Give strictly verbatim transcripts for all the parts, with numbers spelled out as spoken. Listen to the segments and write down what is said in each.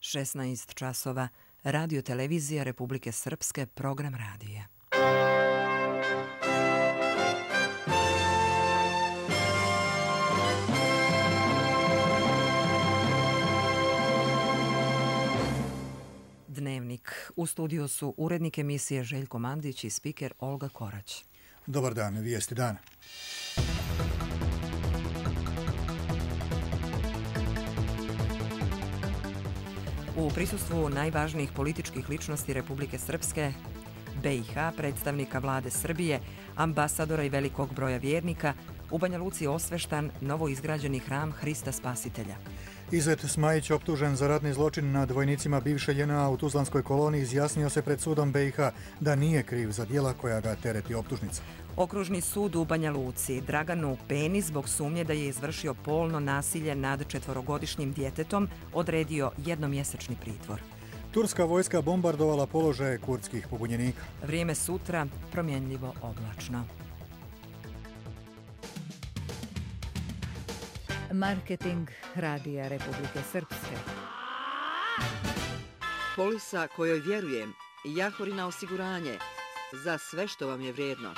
šesnaest časova, Radio Televizija Republike Srpske, program radija. Dnevnik. U studiju su urednik emisije Željko Mandić i spiker Olga Korać. Dobar dan, vijesti dana. U prisustvu najvažnijih političkih ličnosti Republike Srpske, B i H, predstavnika vlade Srbije, ambasadora i velikog broja vjernika, u Banja Luci osveštan novoizgrađeni hram Hrista Spasitelja. Izet Smajić, optužen za ratni zločin nad vojnicima bivše J N A u Tuzlanskoj koloniji, izjasnio se pred sudom B i H da nije kriv za djela koja ga tereti optužnica. Okružni sud u Banja Luci Draganu Peni zbog sumnje da je izvršio polno nasilje nad četvorogodišnjim djetetom odredio jednomjesečni pritvor. Turska vojska bombardovala položaje kurdskih pobunjenika. Vrijeme sutra promjenljivo oblačno. Marketing Radija Republike Srpske. Polisa kojoj vjerujem, Jahorina osiguranje, za sve što vam je vrijedno.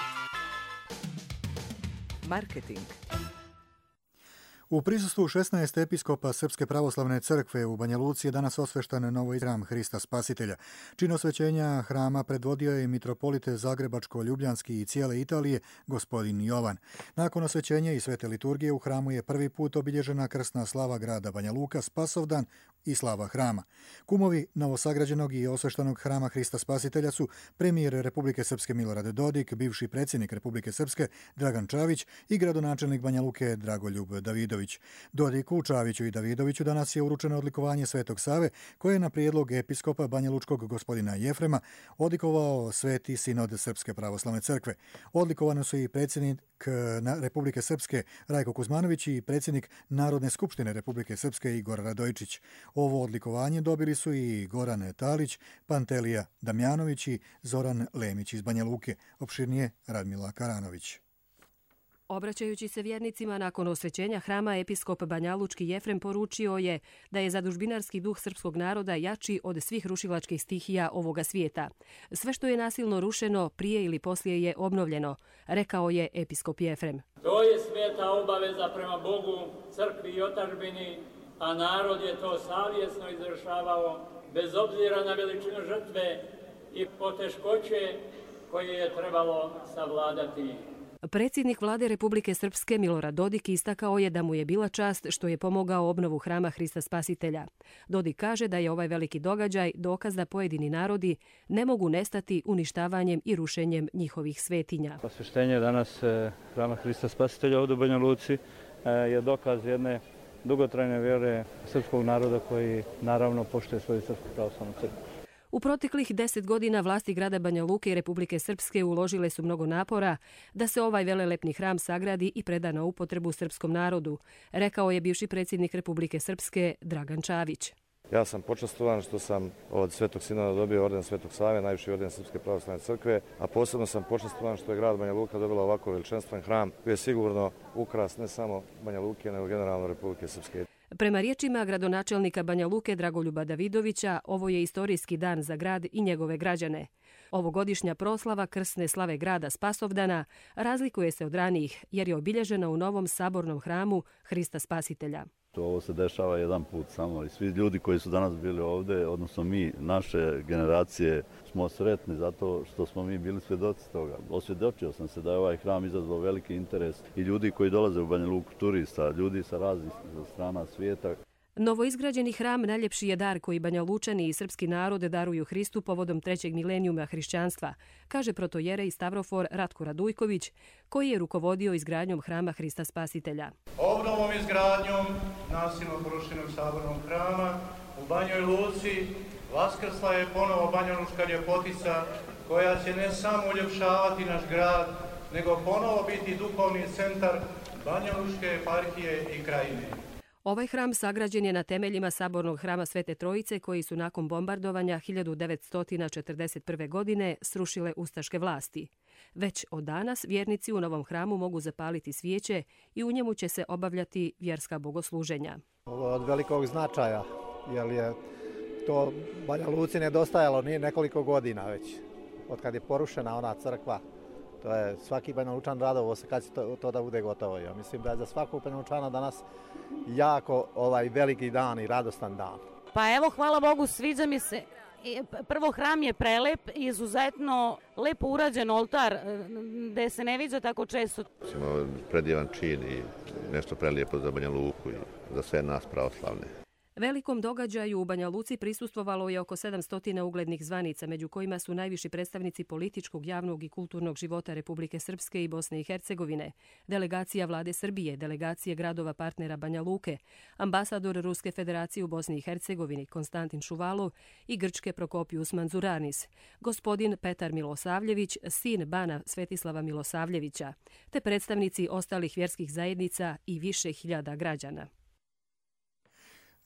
Marketing. U prisustvu šesnaest episkopa Srpske pravoslavne crkve u Banja Luci je danas osveštan novi hram Hrista Spasitelja. Čin osvećenja hrama predvodio je mitropolit Zagrebačko-Ljubljanski i cijele Italije, gospodin Jovan. Nakon osvećenja i svete liturgije u hramu je prvi put obilježena krsna slava grada Banja Luka, Spasovdan i slava hrama. Kumovi novosagrađenog i osveštanog hrama Hrista Spasitelja su premijer Republike Srpske Milorad Dodik, bivši predsjednik Republike Srpske Dragan Čavić i gradonačelnik Banja Luke Dragoljub Davidović. Dodiku, Čaviću i Davidoviću danas je uručeno odlikovanje Svetog Save, koje je na prijedlog episkopa Banja Lučkog gospodina Jefrema odlikovao Sveti sinod Srpske pravoslavne crkve. Odlikovano su i predsjednik Republike Srpske Rajko Kuzmanović i predsjednik Narodne skupštine Republike Srpske Igor Radojčić. Ovo odlikovanje dobili su i Goran Talić, Pantelija Damjanović i Zoran Lemić iz Banja Luke. Opširnije Radmila Karanović. Obraćajući se vjernicima nakon osvećenja hrama, episkop Banjalučki Jefrem poručio je da je zadužbinarski duh srpskog naroda jači od svih rušilačkih stihija ovoga svijeta. Sve što je nasilno rušeno, prije ili poslije je obnovljeno, rekao je episkop Jefrem. To je sveta obaveza prema Bogu, crkvi i otadžbini, a narod je to savjesno izvršavao, bez obzira na veličinu žrtve i poteškoće koje je trebalo savladati. Predsjednik vlade Republike Srpske Milorad Dodik istakao je da mu je bila čast što je pomogao obnovu hrama Hrista Spasitelja. Dodik kaže da je ovaj veliki događaj dokaz da pojedini narodi ne mogu nestati uništavanjem i rušenjem njihovih svetinja. Osveštenje danas hrama Hrista Spasitelja ovdje u Banja Luci je dokaz jedne dugotrajne vjere srpskog naroda koji naravno poštuje svoju srpsku pravoslavnu crkvu. U proteklih deset godina vlasti grada Banja Luke i Republike Srpske uložile su mnogo napora da se ovaj velelepni hram sagradi i preda na upotrebu srpskom narodu, rekao je bivši predsjednik Republike Srpske Dragan Čavić. Ja sam počastovan što sam od Svetog Sinoda dobio orden Svetog Save, najviši orden Srpske pravoslavne crkve, a posebno sam počastovan što je grad Banja Luka dobila ovako veličanstven hram koji je sigurno ukras ne samo Banja Luke, nego generalno Republike Srpske. Prema riječima gradonačelnika Banja Luke Dragoljuba Davidovića, ovo je istorijski dan za grad i njegove građane. Ovogodišnja proslava krsne slave grada Spasovdana razlikuje se od ranijih jer je obilježena u novom sabornom hramu Hrista Spasitelja. Ovo se dešava jedan put samo i svi ljudi koji su danas bili ovdje, odnosno mi, naše generacije, smo sretni zato što smo mi bili svjedoci toga. Osvjedočio sam se da je ovaj hram izazvao veliki interes i ljudi koji dolaze u Banja Luku, turista, ljudi sa raznih strana svijeta. Novoizgrađeni hram najljepši je dar koji Banja Lučani i srpski narod daruju Hristu povodom trećeg milenijuma hrišćanstva, kaže protojerej Stavrofor Ratko Radujković, koji je rukovodio izgradnjom hrama Hrista Spasitelja. Obnovom izgradnjom nasilno porušenog sabornog hrama u Banjoj Luci vaskrsla je ponovo banjalučka ljepotica koja će ne samo uljepšavati naš grad, nego ponovo biti duhovni centar banjalučke eparhije i krajine. Ovaj hram sagrađen je na temeljima sabornog hrama Svete Trojice koji su nakon bombardovanja hiljadu devetsto četrdeset prve. godine srušile ustaške vlasti. Već od danas vjernici u novom hramu mogu zapaliti svijeće i u njemu će se obavljati vjerska bogosluženja. Ovo je od velikog značaja, jer je To Banja Luci nedostajalo nije nekoliko godina već, od kad je porušena ona crkva. To je svaki Banja Lučan radovo se kad će to, to da bude gotovo. Ja mislim da je za svakog Banja Lučana danas jako ovaj veliki dan i radostan dan. Pa evo, hvala Bogu, sviđa mi se. Prvo, hram je prelep, izuzetno lepo urađen oltar, gde se ne viđa tako često. Imamo predivan čin i nešto prelijepo za Banja Luku i za sve nas pravoslavne. Velikom događaju u Banja Luci prisustvovalo je oko sedamsto uglednih zvanica, među kojima su najviši predstavnici političkog, javnog i kulturnog života Republike Srpske i Bosne i Hercegovine, delegacija vlade Srbije, delegacije gradova partnera Banja Luke, ambasador Ruske federacije u Bosni i Hercegovini Konstantin Šuvalov i Grčke Prokopius Manzuranis, gospodin Petar Milosavljević, sin bana Svetislava Milosavljevića, te predstavnici ostalih vjerskih zajednica i više hiljada građana.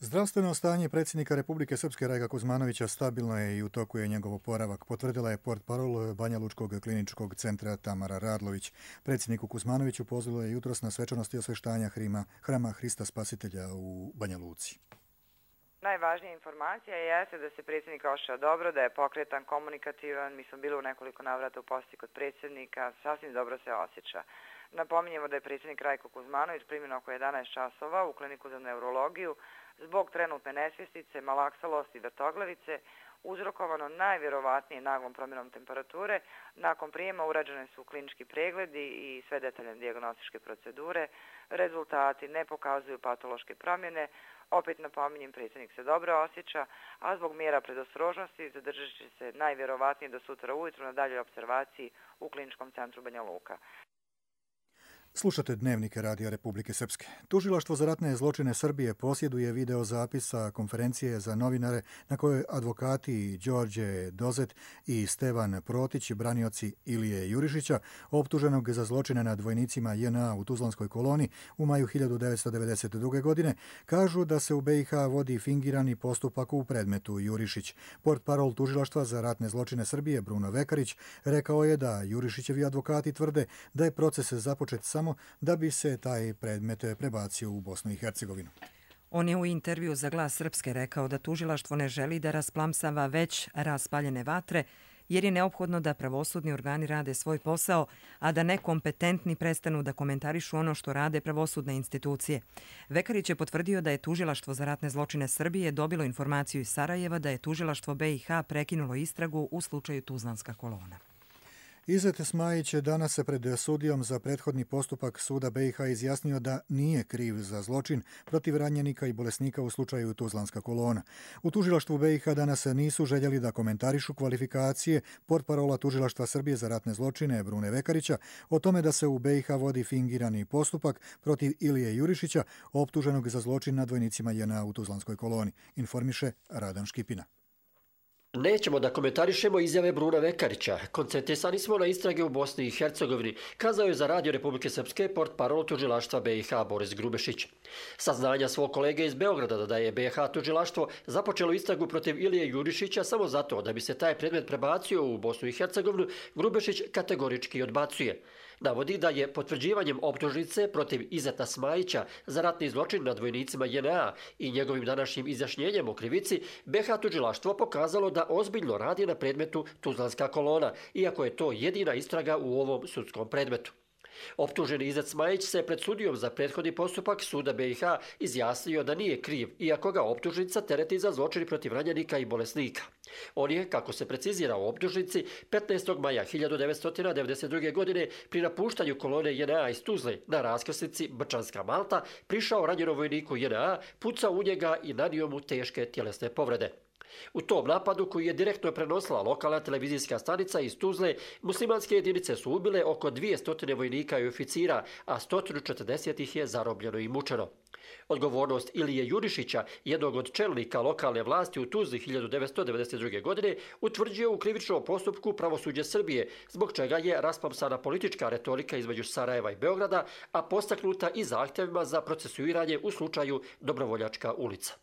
Zdravstveno stanje predsjednika Republike Srpske Rajka Kuzmanovića stabilno je i u toku je njegov oporavak, potvrdila je portparol Banja Lučkog kliničkog centra Tamara Radlović. Predsjedniku Kuzmanoviću pozvalo je jutros na svečanosti osveštanja hrima, hrama Hrista Spasitelja u Banja Luci. Najvažnija informacija jeste da se predsjednik ošao dobro, da je pokretan, komunikativan. Mi smo bili u nekoliko navrata u posjeti kod predsjednika, sasvim dobro se osjeća. Napominjemo da je predsjednik Rajko Kuzmanović primjen oko jedanaest časova u kliniku za neurologiju zbog trenutne nesvjestice, malaksalosti i vrtoglavice, uzrokovano najvjerovatnije naglom promjenom temperature. Nakon prijema urađene su klinički pregledi i sve detaljne dijagnostičke procedure. Rezultati ne pokazuju patološke promjene. Opet napominjem, predsjednik se dobro osjeća, a zbog mjera predostrožnosti zadržat će se najvjerovatnije do sutra ujutru na daljoj observaciji u kliničkom centru Banja Luka. Slušate Dnevnike Radija Republike Srpske. Tužilaštvo za ratne zločine Srbije posjeduje video zapisa konferencije za novinare na kojoj advokati Đorđe Dozet i Stevan Protić, branioci Ilije Jurišića, optuženog za zločine nad vojnicima J N A u Tuzlanskoj koloni u maju hiljadu devetsto devedeset druge. godine, kažu da se u B i H vodi fingirani postupak u predmetu Jurišić. Portparol Tužilaštva za ratne zločine Srbije Bruno Vekarić rekao je da Jurišićevi advokati tvrde da je proces započet samo da bi se taj predmet prebacio u Bosnu i Hercegovinu. On je u intervju za Glas Srpske rekao da tužilaštvo ne želi da rasplamsava već raspaljene vatre, jer je neophodno da pravosudni organi rade svoj posao, a da nekompetentni prestanu da komentarišu ono što rade pravosudne institucije. Vekarić je potvrdio da je tužilaštvo za ratne zločine Srbije dobilo informaciju iz Sarajeva da je tužilaštvo B i H prekinulo istragu u slučaju Tuzlanska kolona. Izet Smajić je danas se pred sudijom za prethodni postupak suda B i H izjasnio da nije kriv za zločin protiv ranjenika i bolesnika u slučaju Tuzlanska kolona. U tužilaštvu B i H danas nisu željeli da komentarišu kvalifikacije portparola Tužilaštva Srbije za ratne zločine Brune Vekarića o tome da se u B i H vodi fingirani postupak protiv Ilije Jurišića, optuženog za zločin nad vojnicima J N A u Tuzlanskoj koloni, informiše Radan Škipina. Nećemo da komentarišemo izjave Bruna Vekarića. Koncentrisani smo na istrage u Bosni i Hercegovini, kazao je za Radio Republike Srpske portparol tužilaštva B i H Boris Grubešić. Saznanja svog kolege iz Beograda da je B i H tužilaštvo započelo istragu protiv Ilije Jurišića samo zato da bi se taj predmet prebacio u Bosnu i Hercegovinu, Grubešić kategorički odbacuje. Navodi da je potvrđivanjem optužnice protiv Izeta Smajića za ratni zločin nad vojnicima J N A i njegovim današnjim izjašnjenjem o krivici, B i H tužilaštvo pokazalo da ozbiljno radi na predmetu Tuzlanska kolona, iako je to jedina istraga u ovom sudskom predmetu. Optuženi Izet Smajić se pred sudijom za prethodni postupak suda B i H izjasnio da nije kriv, iako ga optužnica tereti za zločin protiv ranjenika i bolesnika. On je, kako se precizira u optužnici, petnaestog maja hiljadu devetsto devedeset druge. godine pri napuštanju kolone J N A iz Tuzle na raskrsnici Brčanska Malta prišao ranjenom vojniku J N A, pucao u njega i nanio mu teške tjelesne povrede. U tom napadu, koji je direktno prenosila lokalna televizijska stanica iz Tuzle, muslimanske jedinice su ubile oko dvjesto vojnika i oficira, a sto četrdeset ih je zarobljeno i mučeno. Odgovornost Ilije Jurišića, jednog od čelnika lokalne vlasti u Tuzli hiljadu devetsto devedeset druge. godine, utvrđuje u krivičnom postupku pravosuđe Srbije, zbog čega je rasplamsana politička retorika između Sarajeva i Beograda, a postaknuta i zahtjevima za procesuiranje u slučaju Dobrovoljačka ulica.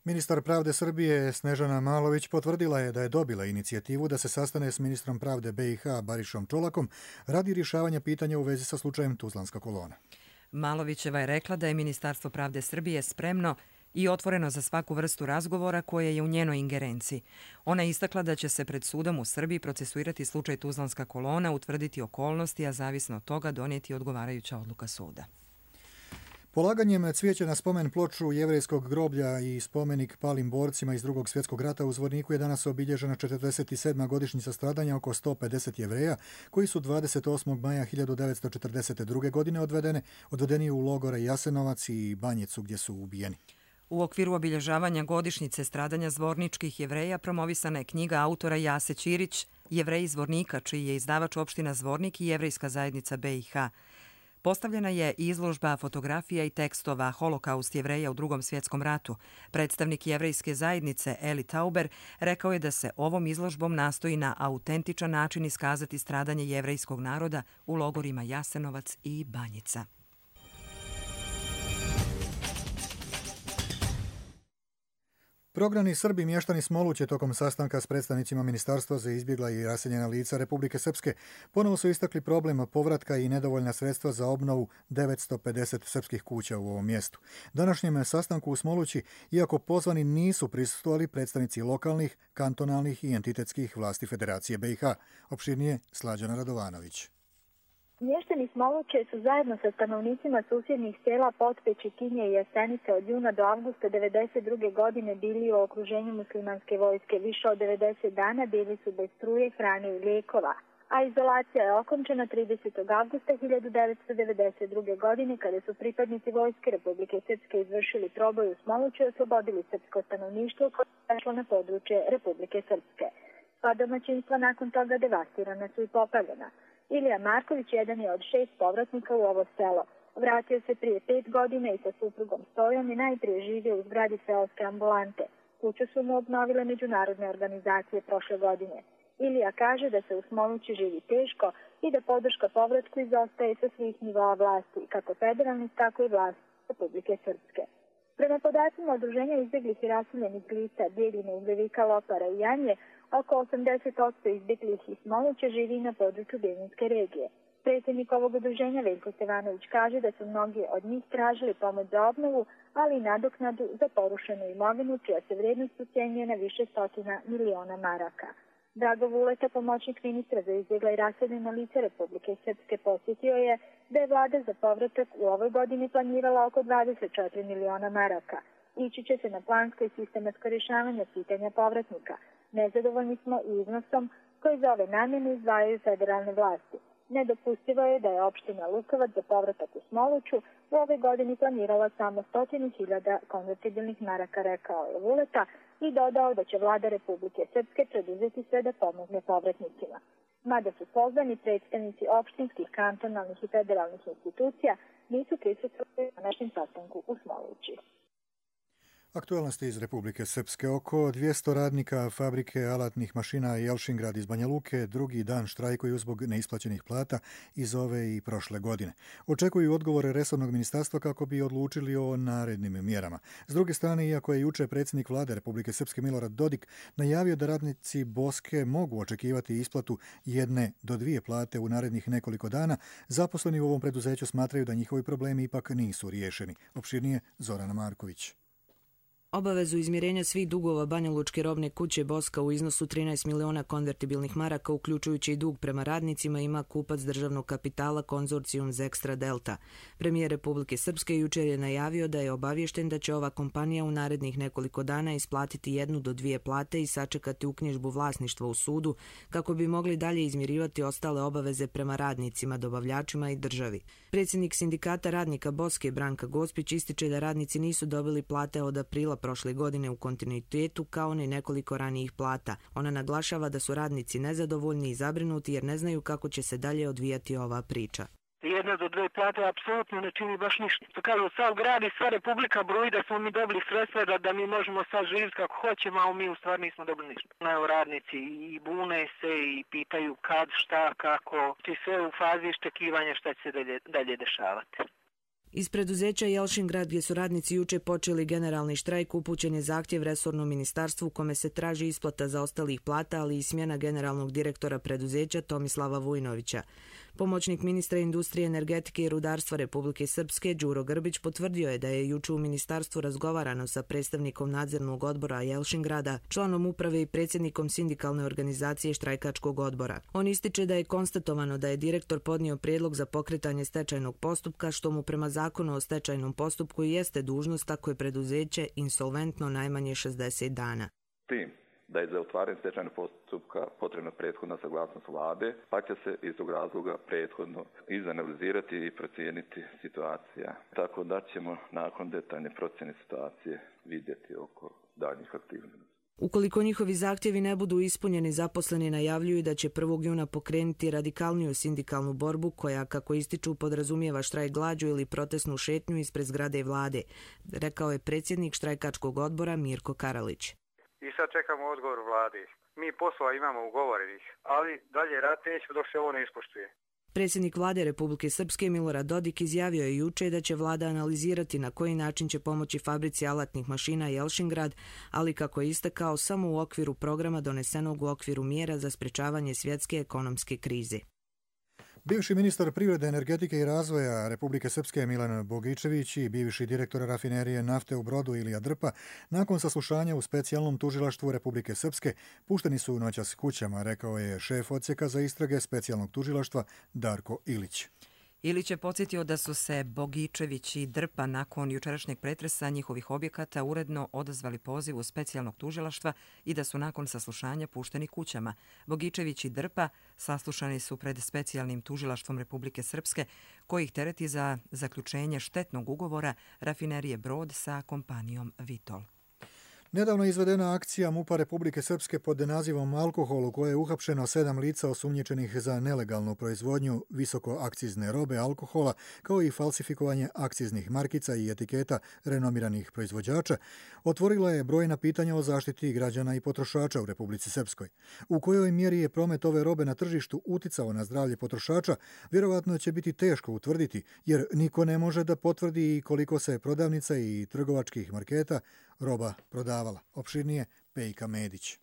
Ministar pravde Srbije Snežana Malović potvrdila je da je dobila inicijativu da se sastane s ministrom pravde B i H Barišom Čolakom radi rješavanja pitanja u vezi sa slučajem Tuzlanska kolona. Malovićeva je rekla da je Ministarstvo pravde Srbije spremno i otvoreno za svaku vrstu razgovora koje je u njenoj ingerenciji. Ona je istakla da će se pred sudom u Srbiji procesuirati slučaj Tuzlanska kolona, utvrditi okolnosti, a zavisno od toga donijeti odgovarajuća odluka suda. Polaganjem cvijeća na spomen ploču jevrejskog groblja i spomenik palim borcima iz Drugog svjetskog rata u Zvorniku je danas obilježena četrdeset sedma godišnjica stradanja oko sto pedeset Jevreja koji su dvadeset osmog maja hiljadu devetsto četrdeset druge. godine odvedene, odvedeni u logore Jasenovac i Banjicu gdje su ubijeni. U okviru obilježavanja godišnjice stradanja zvorničkih Jevreja promovisana je knjiga autora Jase Ćirić, Jevreji Zvornika, čiji je izdavač opština Zvornik i Jevrejska zajednica B i H. Postavljena je izložba fotografija i tekstova Holokaust Jevreja u Drugom svjetskom ratu. Predstavnik Jevrejske zajednice Eli Tauber rekao je da se ovom izložbom nastoji na autentičan način iskazati stradanje jevrejskog naroda u logorima Jasenovac i Banjica. Prognani Srbi mještani Smoluće tokom sastanka s predstavnicima Ministarstva za izbjegla i raseljena lica Republike Srpske ponovo su istakli problem povratka i nedovoljna sredstva za obnovu devetsto pedeset srpskih kuća u ovom mjestu. Današnjem sastanku u Smolući, iako pozvani nisu prisustvovali predstavnici lokalnih, kantonalnih i entitetskih vlasti Federacije B i H. Opširnije Slađana Radovanović. Mještani Smoluće su zajedno sa stanovnicima susjednih sela Potpeći, Kinje i Jasenice od juna do avgusta devedeset druge. godine bili u okruženju muslimanske vojske. Više od devedeset dana bili su bez struje, hrane i lijekova, a izolacija je okončena tridesetog avgusta hiljadu devetsto devedeset druge. godine kada su pripadnici vojske Republike Srpske izvršili proboj u Smoluću i oslobodili srpsko stanovništvo koje je prešlo na područje Republike Srpske. Sva domaćinstva nakon toga devastirana su i popaljena. Ilija Marković jedan je od šest povratnika u ovo selo. Vratio se prije pet godina i sa suprugom Stojom i najprije živio u zgradi seoske ambulante. Kuću su mu obnovile međunarodne organizacije prošle godine. Ilija kaže da se u Smolući živi teško i da podrška povratku izostaje sa svih nivoa vlasti, kako federalnih, tako i vlasti Republike Srpske. Prema podacima Udruženja izbjeglih i raseljenih lica Bijeljine, Ugljevika, Lopara i Janje, oko osamdeset posto izbjeglih iz Smoluća živi na području Bijeljinske regije. Predsjednik ovog udruženja Veljko Stevanović kaže da su mnogi od njih tražili pomoć za obnovu, ali i nadoknadu za porušenu imovinu, čija se vrijednost ucijenjuje na više stotina miliona maraka. Drago Vuleta, pomoćnik ministra za izbjegla i raseljena lica Republike Srpske, posjetio je da je vlada za povratak u ovoj godini planirala oko dvadeset četiri miliona maraka. Ići će se na plansko i sistematsko rješavanje pitanja povratnika. Nezadovoljni smo i iznosom koji za ove namjene izdvajaju federalne vlasti. Nedopustivo je da je opština Lukovac za povratak u Smoluću u ovoj godini planirala samo stotinu hiljada konvertibilnih maraka, rekao je Vuleta i dodao da će vlada Republike Srpske preduzeti sve da pomogne povratnicima. Mada su pozvani predstavnici opštinskih, kantonalnih i federalnih institucija, nisu prisustvovali na našem sastanku u Smolući. Aktualnosti iz Republike Srpske. Oko dvjesto radnika fabrike alatnih mašina Jelšingrad iz Banja Luke drugi dan štrajkuju zbog neisplaćenih plata iz ove i prošle godine. Očekuju odgovore resornog ministarstva kako bi odlučili o narednim mjerama. S druge strane, iako je juče predsjednik vlade Republike Srpske Milorad Dodik najavio da radnici Boske mogu očekivati isplatu jedne do dvije plate u narednih nekoliko dana, zaposleni u ovom preduzeću smatraju da njihovi problemi ipak nisu riješeni. Opširnije Zorana Marković. Obavezu izmirenja svih dugova Banjalučke robne kuće Boska u iznosu trinaest miliona konvertibilnih maraka, uključujući i dug prema radnicima, ima kupac državnog kapitala konzorcijum Zekstra Delta. Premijer Republike Srpske jučer je najavio da je obaviješten da će ova kompanija u narednih nekoliko dana isplatiti jednu do dvije plate i sačekati uknjižbu vlasništva u sudu kako bi mogli dalje izmirivati ostale obaveze prema radnicima, dobavljačima i državi. Predsjednik sindikata radnika Boske Branka Gospić ističe da radnici nisu dobili plate od aprila prošle godine u kontinuitetu kao ni nekoliko ranijih plata. Ona naglašava da su radnici nezadovoljni i zabrinuti jer ne znaju kako će se dalje odvijati ova priča. Jedna do dve plate apsolutno ne čini baš ništa. To kažu, sav grad i sva Republika broji da smo mi dobili sredstva da, da mi možemo sad živjeti kako hoćemo, a mi u stvari nismo dobili ništa. Evo, radnici i bune se i pitaju kad, šta, kako, či sve u fazi iščekivanja šta će se dalje, dalje dešavati. Iz preduzeća Jelšingrad, gdje su radnici juče počeli generalni štrajk, upućen je zahtjev resornom ministarstvu u kome se traži isplata za ostalih plata, ali i smjena generalnog direktora preduzeća Tomislava Vujnovića. Pomoćnik ministra industrije, energetike i rudarstva Republike Srpske Đuro Grbić potvrdio je da je juče u ministarstvu razgovarano sa predstavnikom nadzornog odbora Jelšingrada, članom uprave i predsjednikom sindikalne organizacije štrajkačkog odbora. On ističe da je konstatovano da je direktor podnio prijedlog za pokretanje stečajnog postupka, što mu prema zakonu o stečajnom postupku jeste dužnost ako je preduzeće insolventno najmanje šezdeset dana. Tim da je za otvaranje stečajnog postupka potrebna prethodna saglasnost vlade, pa će se iz tog razloga prethodno izanalizirati i procijeniti situacija. Tako da ćemo nakon detaljne procjene situacije vidjeti oko daljnjih aktivnosti. Ukoliko njihovi zahtjevi ne budu ispunjeni, zaposleni najavljuju da će prvog juna pokrenuti radikalniju sindikalnu borbu koja, kako ističu, podrazumijeva štrajk glađu ili protestnu šetnju ispred zgrade vlade, rekao je predsjednik štrajkačkog odbora Mirko Karalić. I sad čekamo odgovor vladi. Mi poslova imamo ugovorenih, ali dalje rad nećemo dok se ovo ne ispoštuje. Predsjednik vlade Republike Srpske Milorad Dodik izjavio je juče da će vlada analizirati na koji način će pomoći fabrici alatnih mašina Jelšingrad, ali kako je istakao samo u okviru programa donesenog u okviru mjera za sprečavanje svjetske ekonomske krize. Bivši ministar privrede, energetike i razvoja Republike Srpske Milan Bogičević i bivši direktor rafinerije nafte u Brodu Ilija Drpa nakon saslušanja u specijalnom tužilaštvu Republike Srpske pušteni su noćas kućama, rekao je šef odsjeka za istrage specijalnog tužilaštva Darko Ilić. Ilić je podsjetio da su se Bogičević i Drpa nakon jučerašnjeg pretresa njihovih objekata uredno odazvali pozivu specijalnog tužilaštva i da su nakon saslušanja pušteni kućama. Bogičević i Drpa saslušani su pred specijalnim tužilaštvom Republike Srpske, koji ih tereti za zaključenje štetnog ugovora rafinerije Brod sa kompanijom Vitol. Nedavno je izvedena akcija MUP-a Republike Srpske pod nazivom Alkohol, u kojoj je uhapšeno sedam lica osumnjičenih za nelegalnu proizvodnju visokoakcizne robe alkohola, kao i falsifikovanje akciznih markica i etiketa renomiranih proizvođača, otvorila je brojna pitanja o zaštiti građana i potrošača u Republici Srpskoj. U kojoj mjeri je promet ove robe na tržištu uticao na zdravlje potrošača, vjerovatno će biti teško utvrditi, jer niko ne može da potvrdi koliko se prodavnica i trgovačkih marketa roba prodavala. Opširnije Pejka Medić.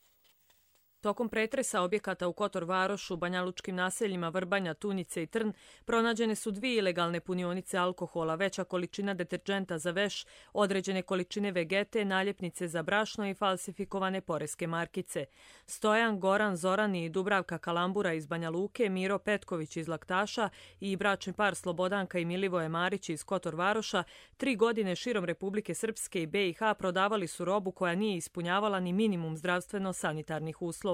Tokom pretresa objekata u Kotor Varošu, banjalučkim naseljima Vrbanja, Tunjice i Trn pronađene su dvije ilegalne punionice alkohola, veća količina deterđenta za veš, određene količine vegete, naljepnice za brašno i falsifikovane poreske markice. Stojan, Goran, Zoran i Dubravka Kalambura iz Banja Luke, Miro Petković iz Laktaša i bračni par Slobodanka i Milivoje Marić iz Kotor Varoša tri godine širom Republike Srpske i be i ha prodavali su robu koja nije ispunjavala ni minimum zdravstveno-sanitarnih uslova.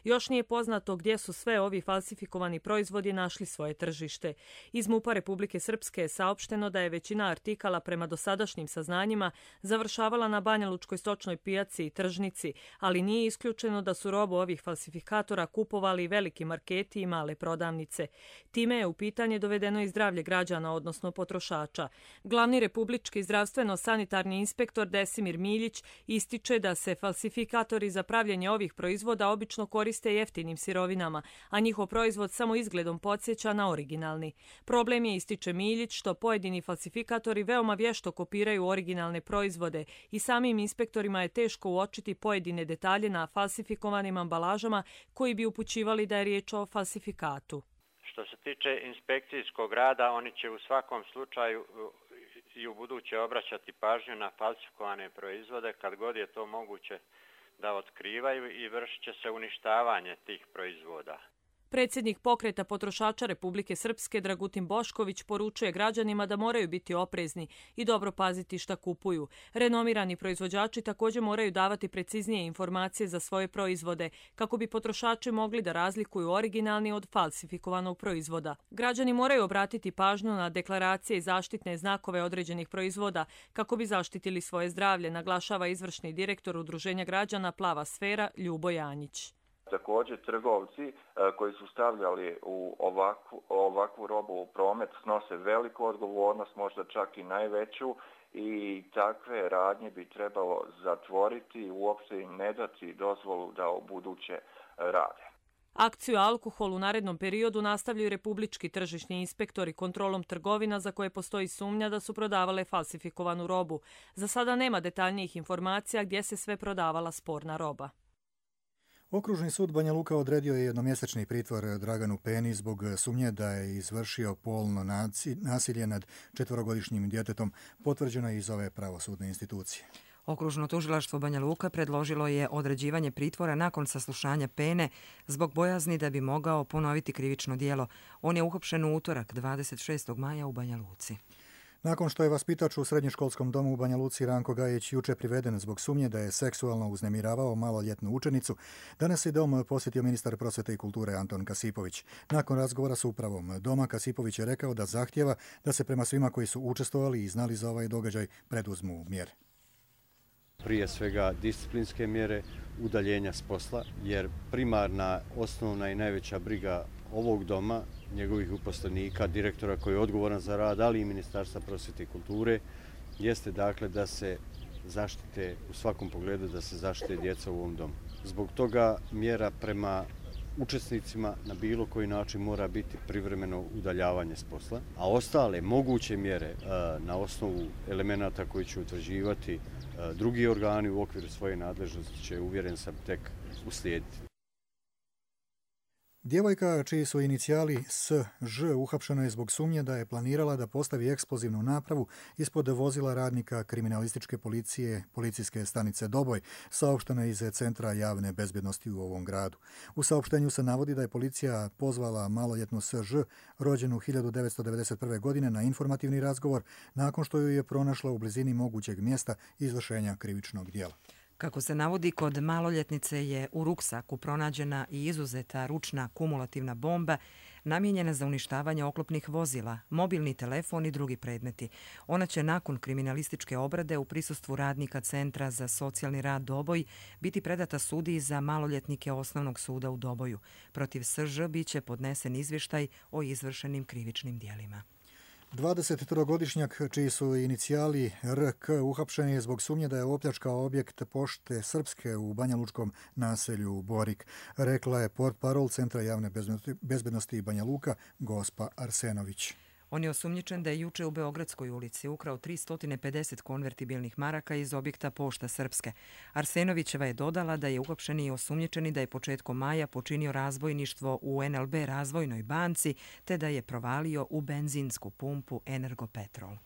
Još nije poznato gdje su sve ovi falsifikovani proizvodi našli svoje tržište. Iz MUP-a Republike Srpske je saopšteno da je većina artikala prema dosadašnjim saznanjima završavala na banjalučkoj stočnoj pijaci i tržnici, ali nije isključeno da su robu ovih falsifikatora kupovali veliki marketi i male prodavnice. Time je u pitanje dovedeno i zdravlje građana, odnosno potrošača. Glavni republički zdravstveno-sanitarni inspektor Desimir Miljić ističe da se falsifikatori za pravljenje ovih proizvoda obično koriste jeftinim sirovinama, a njihov proizvod samo izgledom podsjeća na originalni. Problem je, ističe Miljić, što pojedini falsifikatori veoma vješto kopiraju originalne proizvode i samim inspektorima je teško uočiti pojedine detalje na falsifikovanim ambalažama koji bi upućivali da je riječ o falsifikatu. Što se tiče inspekcijskog rada, oni će u svakom slučaju i u buduće obraćati pažnju na falsifikovane proizvode kad god je to moguće da otkrivaju i vršit će se uništavanje tih proizvoda. Predsjednik pokreta potrošača Republike Srpske Dragutin Bošković poručuje građanima da moraju biti oprezni i dobro paziti šta kupuju. Renomirani proizvođači također moraju davati preciznije informacije za svoje proizvode kako bi potrošači mogli da razlikuju originalni od falsifikovanog proizvoda. Građani moraju obratiti pažnju na deklaracije i zaštitne znakove određenih proizvoda kako bi zaštitili svoje zdravlje, naglašava izvršni direktor Udruženja građana Plava sfera Ljubo Janjić. Također, trgovci koji su stavljali u ovakvu, ovakvu robu u promet snose veliku odgovornost, možda čak i najveću, i takve radnje bi trebalo zatvoriti i uopšte im ne dati dozvolu da u buduće rade. Akciju alkohol u narednom periodu nastavljaju republički tržišni inspektori kontrolom trgovina za koje postoji sumnja da su prodavale falsifikovanu robu. Za sada nema detaljnijih informacija gdje se sve prodavala sporna roba. Okružni sud Banja Luka odredio je jednomjesečni pritvor Draganu Peni zbog sumnje da je izvršio polno nasilje nad četvorogodišnjim djetetom, potvrđeno je iz ove pravosudne institucije. Okružno tužilaštvo Banja Luka predložilo je određivanje pritvora nakon saslušanja Pene zbog bojazni da bi mogao ponoviti krivično djelo. On je uhapšen u utorak dvadeset šestog maja u Banja Luci. Nakon što je vaspitač u srednjoškolskom domu u Banja Luci Ranko Gajić juče priveden zbog sumnje da je seksualno uznemiravao maloljetnu učenicu, danas je dom posjetio ministar prosvete i kulture Anton Kasipović. Nakon razgovora s upravom doma, Kasipović je rekao da zahtjeva da se prema svima koji su učestvovali i znali za ovaj događaj preduzmu mjere. Prije svega disciplinske mjere, udaljenja s posla, jer primarna, osnovna i najveća briga ovog doma, njegovih uposlenika, direktora koji je odgovoran za rad, ali i Ministarstva prosvete i kulture, jeste dakle da se zaštite u svakom pogledu, da se zaštite djeca u ovom domu. Zbog toga mjera prema učesnicima na bilo koji način mora biti privremeno udaljavanje s posla, a ostale moguće mjere na osnovu elemenata koji će utvrđivati drugi organi u okviru svoje nadležnosti će, uvjeren sam, tek uslijediti. Djevojka čiji su inicijali S Ž uhapšena je zbog sumnje da je planirala da postavi eksplozivnu napravu ispod vozila radnika kriminalističke policije policijske stanice Doboj, saopšteno je iz Centra javne bezbjednosti u ovom gradu. U saopštenju se navodi da je policija pozvala maloljetnu S Ž, rođenu hiljadu devetsto devedeset prve. godine, na informativni razgovor nakon što ju je pronašla u blizini mogućeg mjesta izvršenja krivičnog djela. Kako se navodi, kod maloljetnice je u ruksaku pronađena i izuzeta ručna kumulativna bomba namijenjena za uništavanje oklopnih vozila, mobilni telefon i drugi predmeti. Ona će nakon kriminalističke obrade u prisustvu radnika Centra za socijalni rad Doboj biti predata sudiji za maloljetnike Osnovnog suda u Doboju. Protiv S Ž biće podnesen izvještaj o izvršenim krivičnim djelima. dvadesettrogodišnjak čiji su inicijali R K uhapšen je zbog sumnje da je opljačkao objekt Pošte Srpske u banjalučkom naselju Borik, rekla je portparol Centra javne bezbjednosti Banja Luka Gospa Arsenović. On je osumnjičen da je juče u Beogradskoj ulici ukrao tristo pedeset konvertibilnih maraka iz objekta Pošta Srpske. Arsenovićeva je dodala da je uhapšeni i osumnjičeni da je početkom maja počinio razbojništvo u N L B razvojnoj banci te da je provalio u benzinsku pumpu Energopetrol.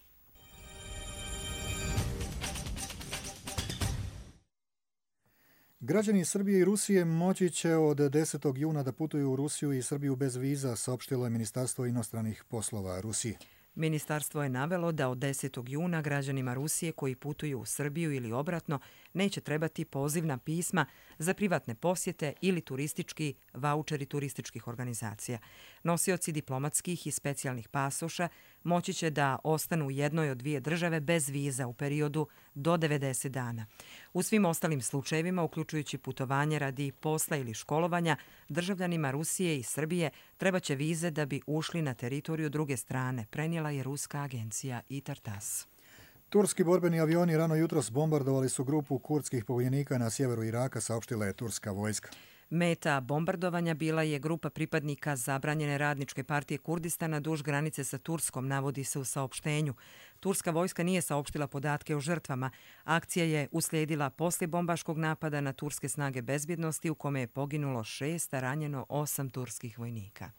Građani Srbije i Rusije moći će od desetog juna da putuju u Rusiju i Srbiju bez viza, saopštilo je Ministarstvo inostranih poslova Rusije. Ministarstvo je navelo da od desetog juna građanima Rusije koji putuju u Srbiju ili obratno neće trebati pozivna pisma za privatne posjete ili turistički vaučeri turističkih organizacija. Nosioci diplomatskih i specijalnih pasoša moći će da ostanu u jednoj od dvije države bez viza u periodu do devedeset dana. U svim ostalim slučajevima, uključujući putovanje radi posla ili školovanja, državljanima Rusije i Srbije trebaće vize da bi ušli na teritoriju druge strane, prenijela je ruska agencija I Tartas. Turski borbeni avioni rano jutros bombardovali su grupu kurdskih pobunjenika na sjeveru Iraka, saopštila je turska vojska. Meta bombardovanja bila je grupa pripadnika zabranjene radničke partije Kurdistana duž granice sa Turskom, navodi se u saopštenju. Turska vojska nije saopštila podatke o žrtvama. Akcija je uslijedila poslije bombaškog napada na turske snage bezbjednosti u kome je poginulo šest, a ranjeno osam turskih vojnika.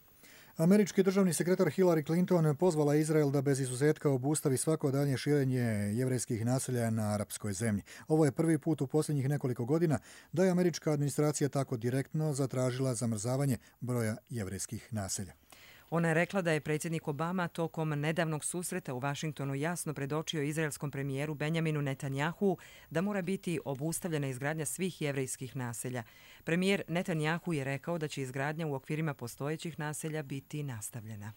Američki državni sekretar Hillary Clinton pozvala Izrael da bez izuzetka obustavi svako dalje širenje jevrejskih naselja na arapskoj zemlji. Ovo je prvi put u posljednjih nekoliko godina da je američka administracija tako direktno zatražila zamrzavanje broja jevrejskih naselja. Ona je rekla da je predsjednik Obama tokom nedavnog susreta u Vašingtonu jasno predočio izraelskom premijeru Benjaminu Netanjahu da mora biti obustavljena izgradnja svih jevrejskih naselja. Premijer Netanjahu je rekao da će izgradnja u okvirima postojećih naselja biti nastavljena.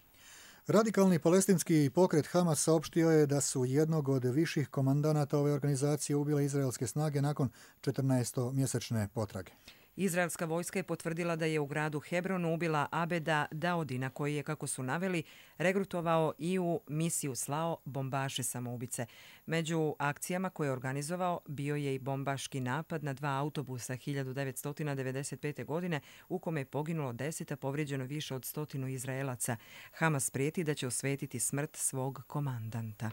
Radikalni palestinski pokret Hamas saopštio je da su jednog od viših komandanata ove organizacije ubile izraelske snage nakon četrnaestomjesečne potrage. Izraelska vojska je potvrdila da je u gradu Hebronu ubila Abeda Daudina, koji je, kako su naveli, regrutovao i u misiju slao bombaše samoubice. Među akcijama koje je organizovao bio je i bombaški napad na dva autobusa hiljadu devetsto devedeset pete. godine u kome je poginulo deset, a povrijeđeno više od stotinu Izraelaca. Hamas prijeti da će osvetiti smrt svog komandanta.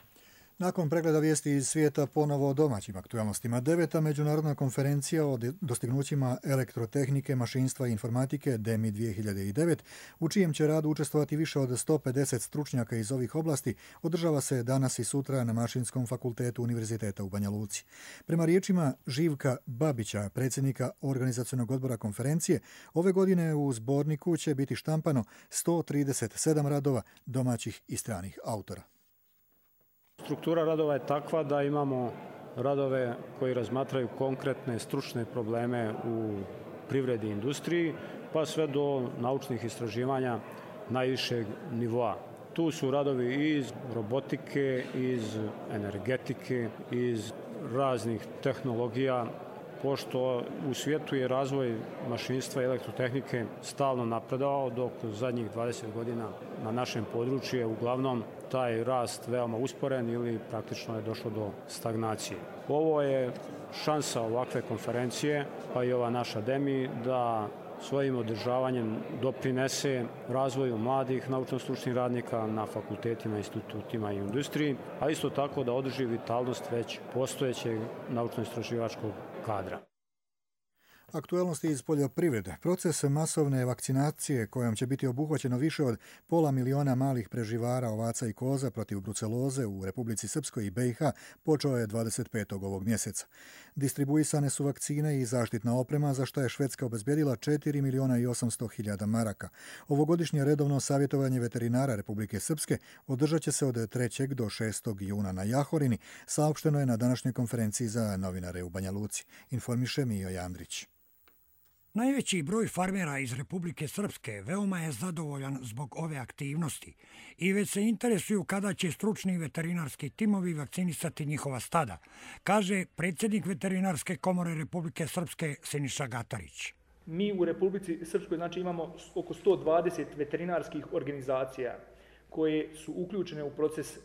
Nakon pregleda vijesti iz svijeta ponovo o domaćim aktualnostima, deveta međunarodna konferencija o dostignućima elektrotehnike, mašinstva i informatike D E M I dvije hiljade devet, u čijem će radu učestvovati više od sto pedeset stručnjaka iz ovih oblasti, održava se danas i sutra na Mašinskom fakultetu Univerziteta u Banja Luci. Prema riječima Živka Babića, predsjednika organizacionog odbora konferencije, ove godine u zborniku će biti štampano sto trideset sedam radova domaćih i stranih autora. Struktura radova je takva da imamo radove koji razmatraju konkretne stručne probleme u privredi i industriji, pa sve do naučnih istraživanja najvišeg nivoa. Tu su radovi iz robotike, iz energetike, iz raznih tehnologija, pošto u svijetu je razvoj mašinstva i elektrotehnike stalno napredovao, dok zadnjih dvadeset godina na našem području je uglavnom taj rast veoma usporen ili praktično je došlo do stagnacije. Ovo je šansa ovakve konferencije, pa i ova naša D E M I, da svojim održavanjem doprinese razvoju mladih naučno-stručnih radnika na fakultetima, institutima i industriji, a isto tako da održi vitalnost već postojećeg naučno-istraživačkog kadra. Aktualnosti iz poljoprivrede. Proces masovne vakcinacije kojom će biti obuhvaćeno više od pola miliona malih preživara ovaca i koza protiv bruceloze u Republici Srpskoj i B i H počeo je dvadeset petog ovog mjeseca. Distribuisane su vakcine i zaštitna oprema za što je Švedska obezbjedila četiri miliona i osamsto hiljada maraka. Ovogodišnje redovno savjetovanje veterinara Republike Srpske održat će se od trećeg do šestog juna na Jahorini, saopšteno je na današnjoj konferenciji za novinare u Banja Luci, informiše Mijo Andrić. Najveći broj farmera iz Republike Srpske veoma je zadovoljan zbog ove aktivnosti i već se interesuju kada će stručni veterinarski timovi vakcinisati njihova stada, kaže predsjednik Veterinarske komore Republike Srpske Siniša Gatarić. Mi u Republici Srpskoj znači, imamo oko sto dvadeset veterinarskih organizacija koje su uključene u proces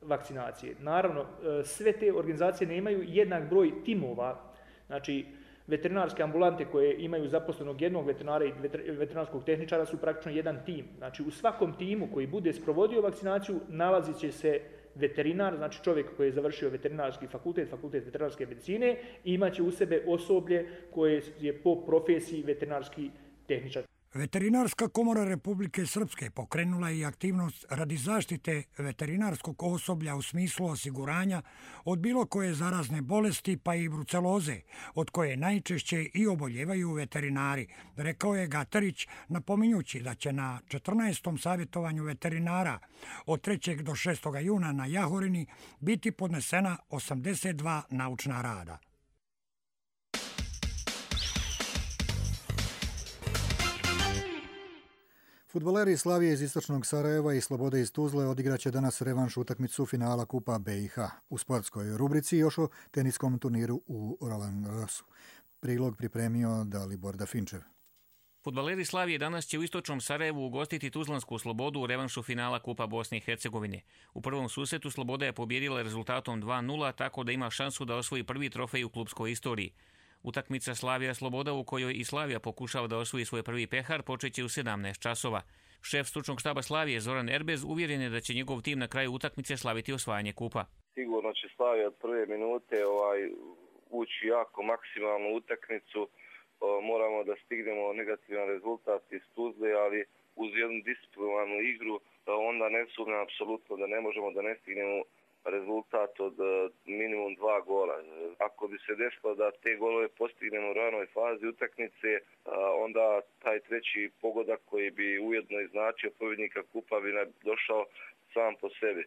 vakcinacije. Naravno, sve te organizacije nemaju jednak broj timova, znači veterinarske ambulante koje imaju zaposlenog jednog veterinara i veterinarskog tehničara su praktično jedan tim. Znači u svakom timu koji bude sprovodio vakcinaciju nalazit će se veterinar, znači čovjek koji je završio veterinarski fakultet, fakultet veterinarske medicine i imaće u sebe osoblje koje je po profesiji veterinarski tehničar. Veterinarska komora Republike Srpske pokrenula je i aktivnost radi zaštite veterinarskog osoblja u smislu osiguranja od bilo koje zarazne bolesti pa i bruceloze, od koje najčešće i oboljevaju veterinari, rekao je Gatarić, napominjući da će na četrnaestom savjetovanju veterinara od trećeg do šestog juna na Jahorini biti podnesena osamdeset dva naučna rada. Fudbaleri Slavije iz istočnog Sarajeva i Slobode iz Tuzle odigraće danas revanš utakmicu finala Kupa B i H. U sportskoj rubrici još o teniskom turniru u Roland Garrosu. Prilog pripremio Dalibor Dafinčev. Fudbaleri Slavije danas će u istočnom Sarajevu ugostiti Tuzlansku Slobodu u revanšu finala Kupa Bosne i Hercegovine. U prvom susretu Sloboda je pobjedila rezultatom dva nula, tako da ima šansu da osvoji prvi trofej u klubskoj istoriji. Utakmica Slavija Sloboda u kojoj i Slavija pokušava da osvoji svoj prvi pehar počeće u sedamnaest časova. Šef stručnog štaba Slavije Zoran Erbez uvjeren je da će njegov tim na kraju utakmice slaviti osvajanje kupa. Sigurno će Slavija od prve minute ovaj, ući jako maksimalnu utakmicu. O, moramo da stignemo negativan rezultat iz Tuzle, ali uz jednu disciplinovanu igru onda ne sumnjam apsolutno da ne možemo da ne stignemo rezultat od minimum dva gola. Ako bi se desilo da te golove postignemo u ranoj fazi utakmice, onda taj treći pogodak koji bi ujedno i značio pobjednika kupa bi došao sam po sebi.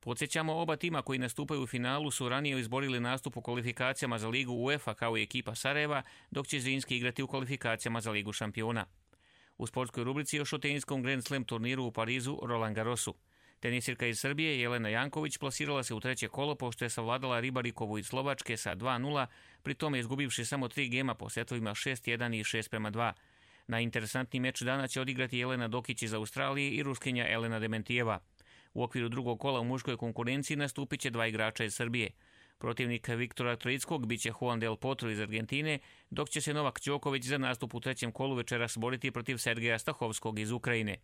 Podsjećamo, oba tima koji nastupaju u finalu su ranije izborili nastup u kvalifikacijama za ligu UEFA kao i ekipa Sarajeva, dok će Zrinski igrati u kvalifikacijama za ligu šampiona. U sportskoj rubrici još o teniskom Grand Slam turniru u Parizu Roland Garrosu. Tenisirka iz Srbije Jelena Janković plasirala se u treće kolo pošto je savladala Ribarikovu iz Slovačke sa dva nula, pri tome izgubivši samo tri gema po setovima šest jedan i šest prema dva. Najinteresantniji meč dana će odigrati Jelena Dokić iz Australije i Ruskinja Elena Dementijeva. U okviru drugog kola u muškoj konkurenciji nastupit će dva igrača iz Srbije. Protivnik Viktora Troickog biće Juan del Potro iz Argentine, dok će se Novak Đoković za nastup u trećem kolu večeras boriti protiv Sergeja Stahovskog iz Ukrajine.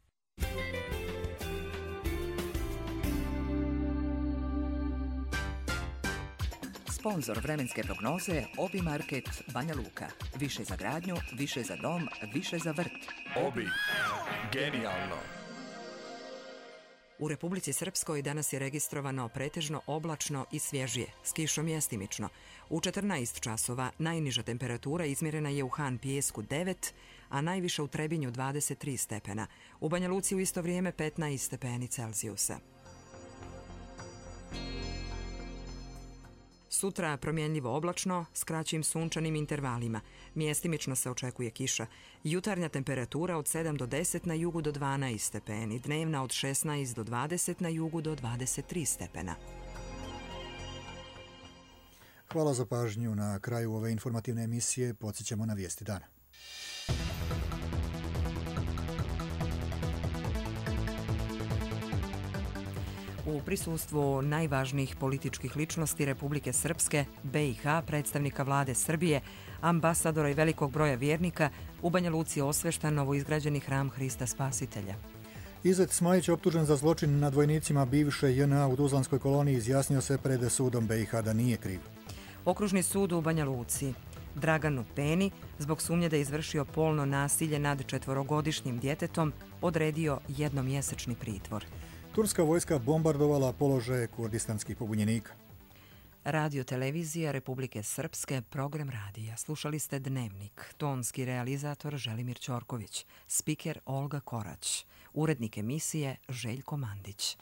Sponzor vremenske prognoze Obi Market Banja Luka. Više za gradnju, više za dom, više za vrt. Obi. Genijalno. U Republici Srpskoj danas je registrovano pretežno oblačno i svježije, s kišom mjestimično. U četrnaest časova najniža temperatura izmjerena je u Han Pijesku devet, a najviša u Trebinju dvadeset tri stepena. U Banja Luci u isto vrijeme petnaest stepeni Celzijusa. Sutra promjenljivo oblačno s kraćim sunčanim intervalima. Mjestimično se očekuje kiša. Jutarnja temperatura od sedam do deset na jugu do dvanaest stepeni, dnevna od šesnaest do dvadeset na jugu do dvadeset tri stepena. Hvala za pažnju. Na kraju ove informativne emisije podsjećamo na vijesti dana. U prisustvu najvažnijih političkih ličnosti Republike Srpske, B i H, predstavnika vlade Srbije, ambasadora i velikog broja vjernika, u Banja Luci osveštan novoizgrađeni hram Hrista Spasitelja. Izet Smajić, optužen za zločin nad vojnicima bivše J N A u Tuzlanskoj koloniji, izjasnio se pred sudom B i H da nije kriv. Okružni sud u Banja Luci Draganu Peni, zbog sumnje da je izvršio polno nasilje nad četvorogodišnjim djetetom, odredio jednomjesečni pritvor. Turska vojska bombardovala položaje kurdistanskih pobunjenika. Radio televizija Republike Srpske, program radija. Slušali ste Dnevnik. Tonski realizator Želimir Ćorković. Spiker Olga Korać. Urednik emisije Željko Mandić.